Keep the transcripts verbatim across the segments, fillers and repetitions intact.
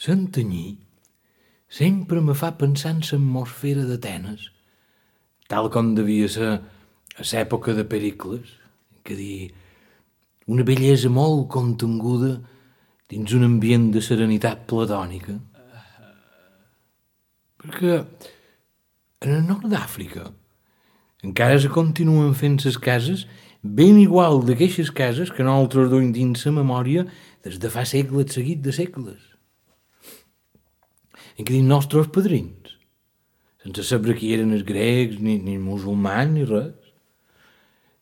Santanyí sempre me fa pensar en l'atmosfera d'Atenes, tal com devia ser a l'època de Pericles, que dir, una bellesa molt contenguda dins un ambient de serenitat platònica. Perquè en el nord d'Àfrica encara se continuen fent les cases ben igual d'aquestes cases que nosaltres duim dins la memòria des de fa segles seguit de segles. En què dins nostres padrins, sense saber qui eren els grecs, ni, ni musulmans, ni res,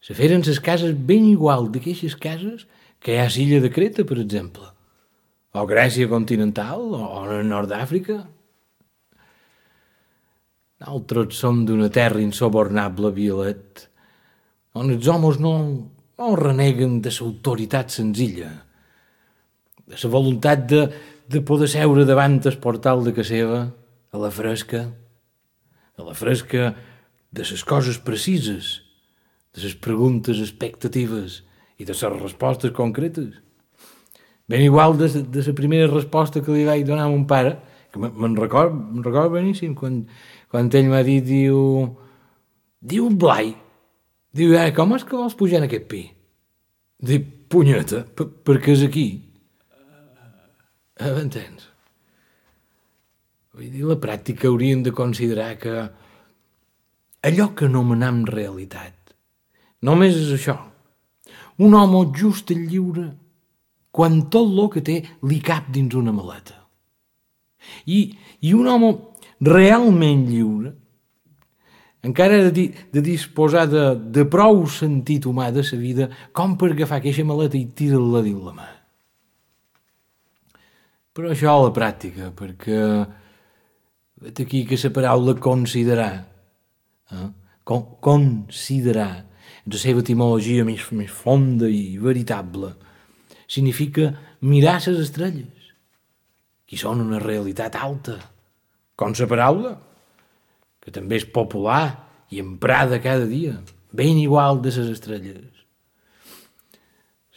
se feren les cases ben igual d'aquestes cases que hi ha a l'illa de Creta, per exemple, o Grècia continental, o, o en el nord d'Àfrica. Nosaltres som d'una terra insobornable, Violet, on els homes no, no reneguen de l'autoritat senzilla, de la voluntat de, de poder seure davant el portal de casa seva, a la fresca, a la fresca de les coses precises, de les preguntes expectatives i de les respostes concretes. Ben igual de, de la primera resposta que li vaig donar a mon pare, que me'n record, me'n record beníssim, quan, quan ell m'ha dit, diu, diu Blai, diu, eh, com és que vols pujar en aquest pi? Dic, punyeta, per, perquè és aquí. Eh, m'entens? Vull dir, la pràctica hauríem de considerar que allò que anomenem realitat només és això, un home just i lliure quan tot el que té li cap dins una maleta. I, i un home realment lliure encara ha de, di, de disposar de, de prou sentit humà de sa vida com per agafar aquesta maleta i tirar-la dins la mà. Però això a la pràctica, perquè vet aquí que la paraula considerar, eh? Con, considerar, en la seva etimologia més, més fonda i veritable, significa mirar les estrelles, que són una realitat alta, com la paraula, que també és popular i emprada cada dia, ben igual de les estrelles.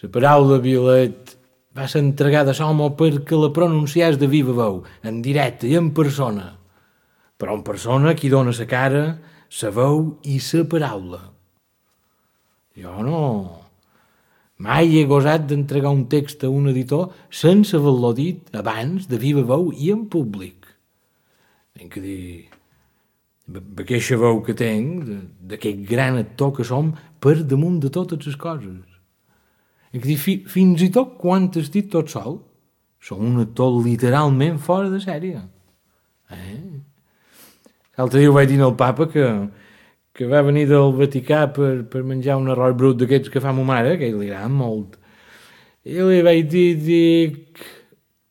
La paraula, Violet, va ser entregada a l'home perquè la pronunciàs de viva veu, en directe i en persona, però en persona qui dona la cara, la veu i la paraula. Jo no... Mai he gosat d'entregar un text a un editor sense haver-lo dit abans de viva veu i en públic. Tinc que dir, aquesta veu que tenc, d'aquest gran actor que som, per damunt de totes les coses. Tinc que dir, fi, fins i tot quan estic tot sol, som un actor literalment fora de sèrie. Eh? L'altre dia ho vaig dir al papa que... que va venir del Vaticà per, per menjar un arròs brut d'aquests que fa ma mare, que li agrada molt. I li vaig dir, dic,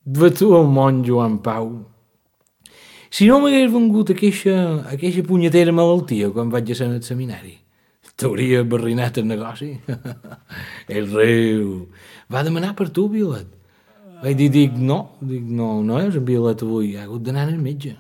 va tu el monjo Joan Pau. Si no m'hagués vengut aquesta, aquesta punyetera malaltia quan vaig a ser en el seminari, t'hauria barrinat el negoci. El riu. Va demanar per tu, Violet. Vaig dir, dic, no, dic, no, no és en Violet avui, ha hagut d'anar al metge.